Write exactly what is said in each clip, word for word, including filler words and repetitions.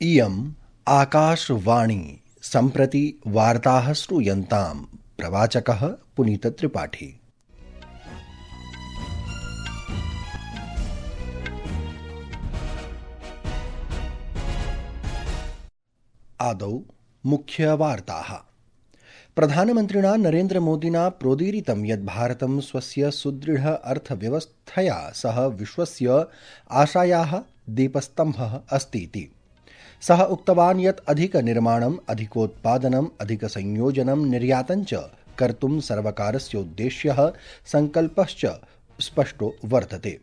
इयम् आकाशवाणी सम्प्रति वार्ताः श्रूयन्ताम्। प्रवाचकः पुनीतत्रिपाठी। आदौ मुख्यवार्ताः। प्रधानमन्त्रिणा नरेन्द्रमोदिना प्रोदीरितं यत् भारतं स्वस्य सुदृढ अर्थव्यवस्थया सह विश्वस्य आशायाः दीपस्तम्भः अस्तीति। सः उक्तवान् यत् अधिकनिर्माणम्, अधिकोत्पादनम्, अधिकसंयोजनं, निर्यातञ्च कर्तुं सर्वकारस्य उद्देश्यः सङ्कल्पश्च स्पष्टो वर्तते।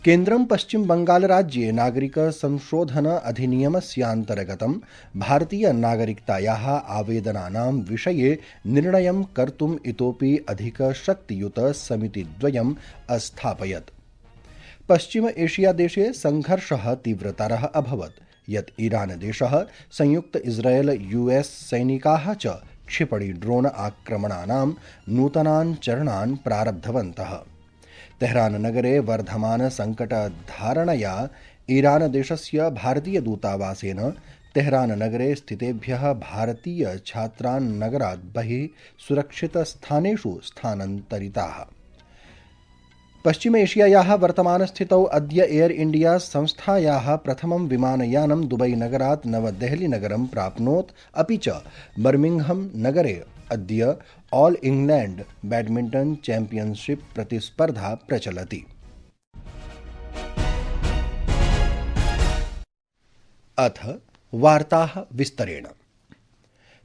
केन्द्रं पश्चिमबङ्गालराज्ये नागरिक संशोधन अधिनियमस्यान्तर्गतं भारतीयनागरिकतायाः आवेदनानां विषये निर्णयं कर्तुम् इतोपि अधिकशक्तियुत समितिद्वयम् अस्थापयत्। पश्चिम एशियादेशे सङ्घर्षः तीव्रतरः अभवत् यत् ईरानदेशः संयुक्त इस्रायेल यूएस् सैनिकाः च क्षिपणि ड्रोन आक्रमणानां नूतनान् चरणान् प्रारब्धवन्तः। तेहराननगरे वर्धमान सङ्कटधारणया ईरानदेशस्य भारतीयदूतावासेन तेहराननगरे स्थितेभ्यः भारतीयछात्रान् नगरात् बहिः सुरक्षितस्थानेषु स्थानान्तरिताः। पश्चिम एशियायाः वर्तमानस्थितौ अद्य एयर इंडिया संस्थायाः प्रथमं विमानयानं दुबई नगरात् नवदेहली नगरं प्राप्नोत्। अपि च बर्मिंघम नगरे अद्य ऑल इंग्लैंड बैडमिंटन चैंपियनशिप प्रतिस्पर्धा प्रचलति। अथ वार्ताः विस्तरेण।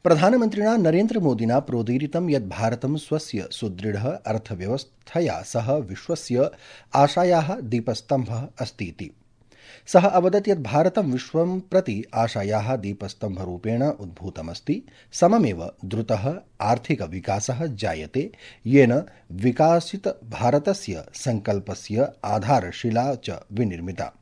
प्रधानमन्त्रिणा नरेन्द्रमोदिना प्रोदीरितं यत् भारतं स्वस्य सुदृढ अर्थव्यवस्थया सह विश्वस्य आशायाः दीपस्तम्भः अस्तीति। सः अवदत् यत् भारतं विश्वं प्रति आशायाः दीपस्तम्भरूपेण उद्भूतमस्ति। सममेव द्रुतः आर्थिकविकासः जायते, येन विकासितभारतस्य सङ्कल्पस्य आधारशिला च विनिर्मिता।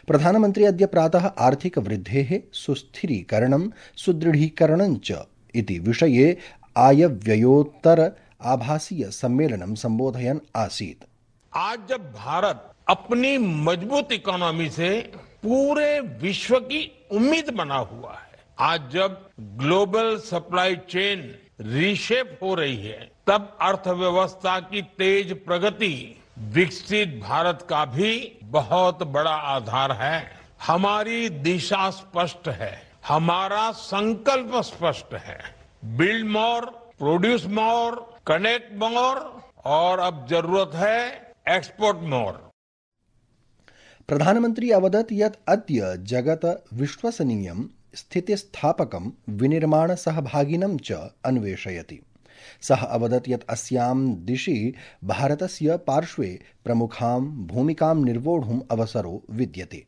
प्रधानमन्त्री अद्य प्रातः आर्थिकवृद्धेः सुस्थिरीकरणं सुदृढीकरणं च इति विषये आयव्ययोत्तर आभासीय सम्मेलनं संबोधयन् आसीत्। आज जब भारत अपनी मजबूत इकोनॉमी से पूरे विश्व की उम्मीद बना हुआ है, आज जब ग्लोबल सप्लाई चेन रीशेप हो रही है, तब अर्थव्यवस्था की तेज प्रगति विकसित भारत का भी बहुत बड़ा आधार है। हमारी दिशा स्पष्ट है, हमारा संकल्प स्पष्ट है। Build more, produce more, connect more और अब जरूरत है एक्सपोर्ट मोर। प्रधानमंत्री अवदत् यत् अद्य जगत विश्वसनीयं स्थितिस्थापकं विनिर्माण सहभागिनं च अन्वेषयति। सः अवदत् यत् अस्यां दिशि भारतस्य पार्श्वे प्रमुखां भूमिकां निर्वोढुम् अवसरो विद्यते।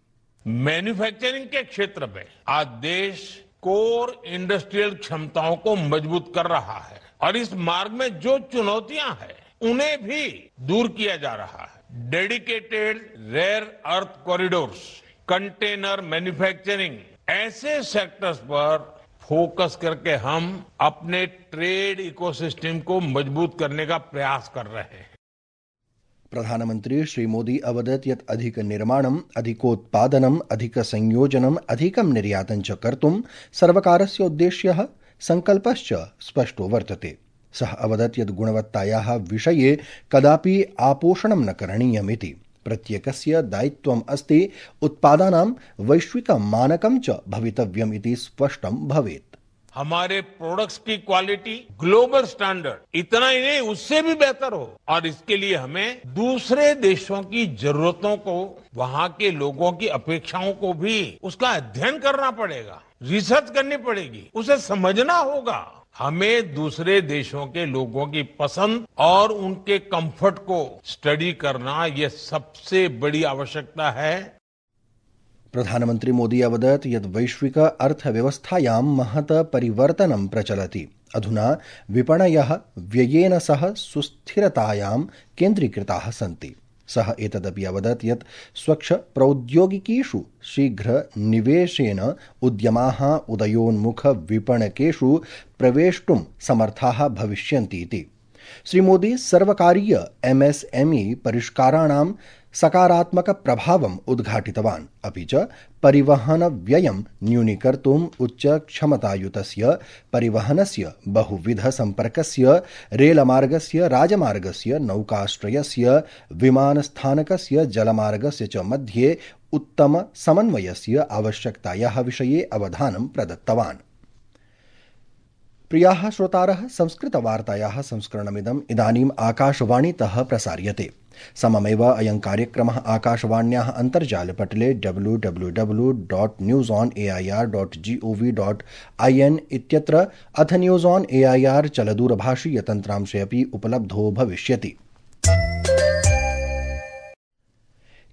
मैन्युफैक्चरिंग के क्षेत्र में आज देश कोर इंडस्ट्रियल क्षमताओं को मजबूत कर रहा है और इस मार्ग में जो चुनौतियां हैं उन्हें भी दूर किया जा रहा है। Dedicated rare earth corridors, container manufacturing, ऐसे सेक्टर्स पर फोकस करके हम अपने ट्रेड इकोसिस्टम को मजबूत करने का प्रयास कर रहे हैं। प्रधानमंत्री श्री मोदी अवदत् यत् अधिक निर्माणम्, अधिकोत्पादनम्, अधिक संयोजनम्, अधिकं निर्यातं च कर्तुं सर्वकारस्य उद्देश्यः सङ्कल्पश्च स्पष्टो वर्तते। सः अवदत् यत् गुणवत्तायाः विषये कदापि आपोषणं न करणीयमिति। प्रत्येकस्य दायित्वम् अस्ति उत्पादानां वैश्विकं मानकं च भवितव्यम् इति स्पष्टं भवेत्। हमारे प्रोडक्ट्स की क्वालिटी ग्लोबल स्टैंडर्ड इतना ही नहीं, उससे भी बेहतर हो, और इसके लिए हमें दूसरे देशों की जरूरतों को, वहां के लोगों की अपेक्षाओं को भी उसका अध्ययन करना पड़ेगा, रिसर्च करनी पड़ेगी, उसे समझना होगा। हमें दूसरे देशों के लोगों की पसंद और उनके कंफर्ट को स्टडी करना, यह सबसे बड़ी आवश्यकता है। प्रधानमंत्री मोदी अवदत् यत् वैश्विक अर्थव्यवस्थायां महत् परिवर्तनं प्रचलति। अधुना विपणयः व्ययेन सह सुस्थिरतायां केन्द्रीकृताः सन्ति। सः एतदपि अवदत् यत् स्वच्छ प्रौद्योगिकीषु शीघ्र निवेशेन उद्यमाः उदयोन्मुख विपणकेषु प्रवेष्टुं समर्थाः भविष्यन्ति इति। श्रीमोदी सर्वकारीय एमएसएमई परिष्काराणां सकारात्मक प्रभावम् उद्घाटितवान्। अपि च परिवहन व्ययं न्यूनीकर्तुम् उच्चक्षमतायुतस्य परिवहनस्य बहुविध सम्पर्कस्य रेलमार्गस्य राजमार्गस्य नौकाश्रयस्य विमानस्थानकस्य जलमार्गस्य च मध्ये उत्तम समन्वयस्य आवश्यकतायाः विषये अवधानं प्रदत्तवान्। प्रियाः श्रोतारः, संस्कृतवार्तायाः संस्करणमिदम् इदानीम् आकाशवाणीतः प्रसार्यते। सममेव अयं कार्यक्रमः आकाशवाण्याः अन्तर्जालपटले W W W dot news on A I R dot G O V dot I N इत्यत्र अथ news on A I R चलदूरभाषीयतन्त्रांशे अपि उपलब्धो भविष्यति।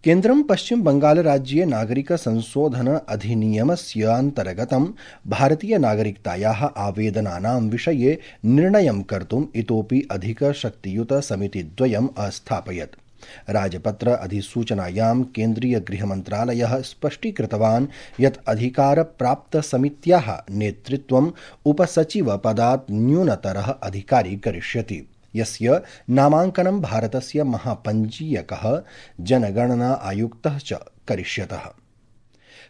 केन्द्रं पश्चिम बंगाल राज्ये नागरिक संशोधन अधिनियमस्य अन्तर्गतं भारतीय नागरिकतायाः आवेदनानां विषये निर्णयं कर्तुम् इतोपि अधिक शक्तियुत समितिद्वयम् अस्थापयत्। राजपत्र अधिसूचनायां केन्द्रीय गृहमन्त्रालयः स्पष्टीकृतवान् यत् अधिकारप्राप्तसमित्याः नेतृत्वम् उपसचिवपदात् न्यूनतरः अधिकारी करिष्यति, यस्य नामाङ्कनं भारतस्य महापञ्जीयकः जनगणना आयुक्तः च करिष्यतः।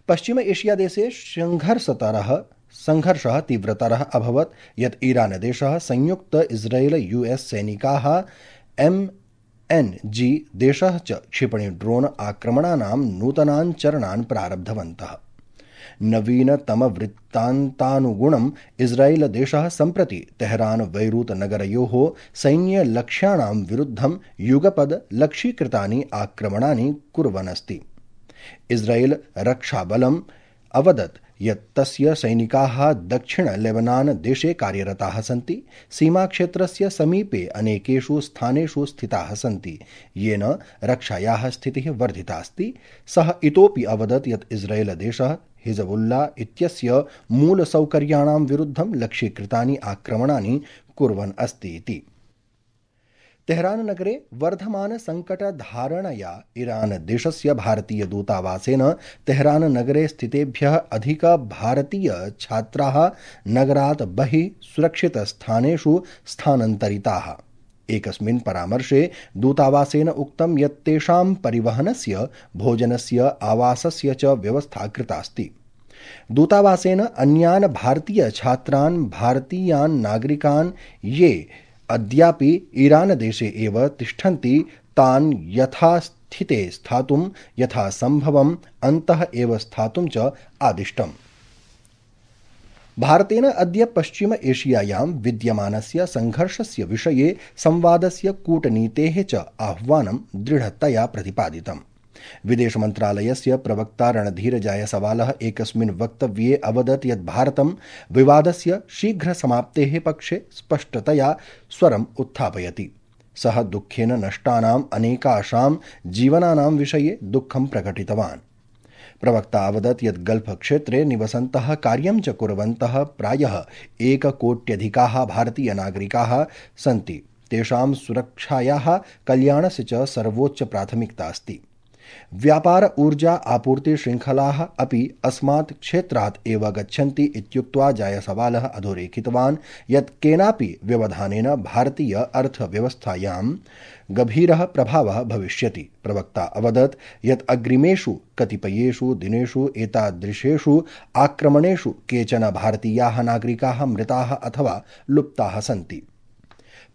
पश्चिम एशिया देशे संघर्षतरः संघर्षः तीव्रतरः अभवत् यत् ईरान देशः संयुक्त इस्राएल यूएस सैनिकाः एम एन जी देशः च क्षिपणि ड्रोन आक्रमणानां नूतनान् चरणान् प्रारब्धवन्तः। नवीनतम वृत्तान्तानुगुणम् इस्राएल देशः सम्प्रति तेहरान बैरूत नगरयोः सैन्यलक्ष्याणां विरुद्धं युगपद् लक्ष्यीकृतानि आक्रमणानि कुर्वन् अस्ति। इस्राएल रक्षाबलम् अवदत् यत् तस्य सैनिकाः दक्षिण लेबनान देशे कार्यरताः सन्ति, सीमाक्षेत्रस्य समीपे अनेकेषु स्थानेषु स्थिताः सन्ति, येन रक्षायाः स्थितिः वर्धिता अस्ति। सः इतोपि अवदत् यत् इस्राएल देशः हिजबुल्ला इत्यस्य मूलसौकर्याणां विरुद्धं लक्ष्यीकृतानि आक्रमणानि कुर्वन् अस्ति इति। तेहरान नगरे वर्धमान संकटधारणया ईरान देशस्य भारतीय दूतावासेन तेहरान नगरे स्थितेभ्यः अधिक भारतीय छात्राः नगरात् बहिः सुरक्षितस्थानेषु स्थानान्तरिताः। एकस्मिन् परामर्शे दूतावासेन उक्तं यत् तेषां परिवहनस्य, भोजनस्य, आवासस्य च व्यवस्था कृतास्ति। दूतावासेन अन्यान् भारतीय छात्रान् भारतीयान् नागरिकान् ये अद्यापि ईरान देशे एव तिष्ठन्ति तान् यथास्थिते स्थातुं यथासम्भवम् अन्तः एव स्थातुं च आदिष्टम्। भारतेन अद्य पश्चिम एशियायां विद्यमानस्य संघर्षस्य विषये संवादस्य कूटनीतेः च आह्वानं दृढतया प्रतिपादितम्। विदेशमन्त्रालयस्य प्रवक्ता रणधीर जायसवालः एकस्मिन् वक्तव्ये अवदत् यत् भारतं विवादस्य शीघ्रसमाप्तेः पक्षे स्पष्टतया स्वरम् उत्थापयति। सः दुःखेन नष्टानाम् अनेकाषां जीवनानां विषये दुःखं प्रकटितवान्। प्रवक्ता अवदत् यत् गल्फ क्षेत्रे निवसन्तः कार्यं च कुर्वन्तः प्रायः एककोट्यधिकाः भारतीय नागरिकाः सन्ति। तेषां सुरक्षायाः कल्याणस्य च सर्वोच्च प्राथमिकता अस्ति। व्यापार ऊर्जा आपूर्ति श्रृङ्खलाः अपि अस्मात् क्षेत्रात् एव गच्छन्ति इत्युक्त्वा जायसवालः अधोरेखितवान् यत् केनापि व्यवधानेन भारतीय अर्थव्यवस्थायां गभीरः प्रभावः भविष्यति। प्रवक्ता अवदत् यत् अग्रिमेषु कतिपयेषु दिनेषु एतादृशेषु आक्रमणेषु केचन भारतीयाः नागरिकाः मृताः अथवा लुप्ताः सन्ति।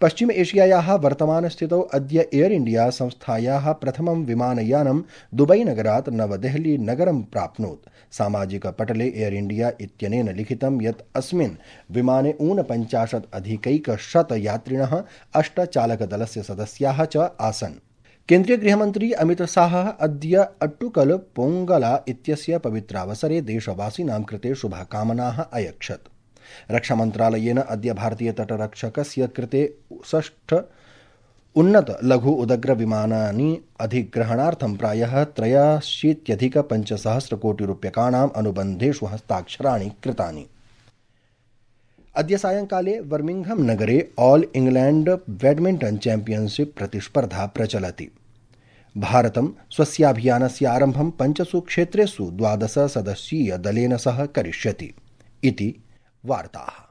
पश्चिम एशियायाः वर्तमानस्थितौ अद्य एयर इंडिया संस्थायाः प्रथमं विमानयानं दुबई नगरात् नवदेहली नगरं प्राप्नोत्। सामाजिकपटले एयर इंडिया इत्यनेन लिखितं यत् अस्मिन् विमाने ऊनपञ्चाशत् अधिकैकशत यात्रिणः, अष्ट चालकदलस्य सदस्याः च आसन्। केन्द्रीय गृहमन्त्री अमित शाहः अद्य अट्टुकल पोंगला इत्यस्य पवित्रावसरे देशवासिनां कृते शुभकामनाः अयच्छत्। रक्षामन्त्रालयेन अद्य भारतीय तटरक्षकस्य कृते षष्ठ उन्नत लघु उदग्र विमानानि अधिग्रहणार्थं प्रायः त्रयाशीत्यधिक पञ्चसहस्र कोटि रूप्यकाणाम् अनुबन्धेषु हस्ताक्षराणि कृतानि। अद्य सायंकाले बर्मिंघम नगरे ऑल इंग्लैंड बैडमिंटन चैंपियनशिप प्रतिस्पर्धा प्रचलति। भारतं स्वस्याभियानस्य आरम्भं पञ्चसु क्षेत्रेषु द्वादश सदस्यीय दलेन सह करिष्यति इति वार्ताः।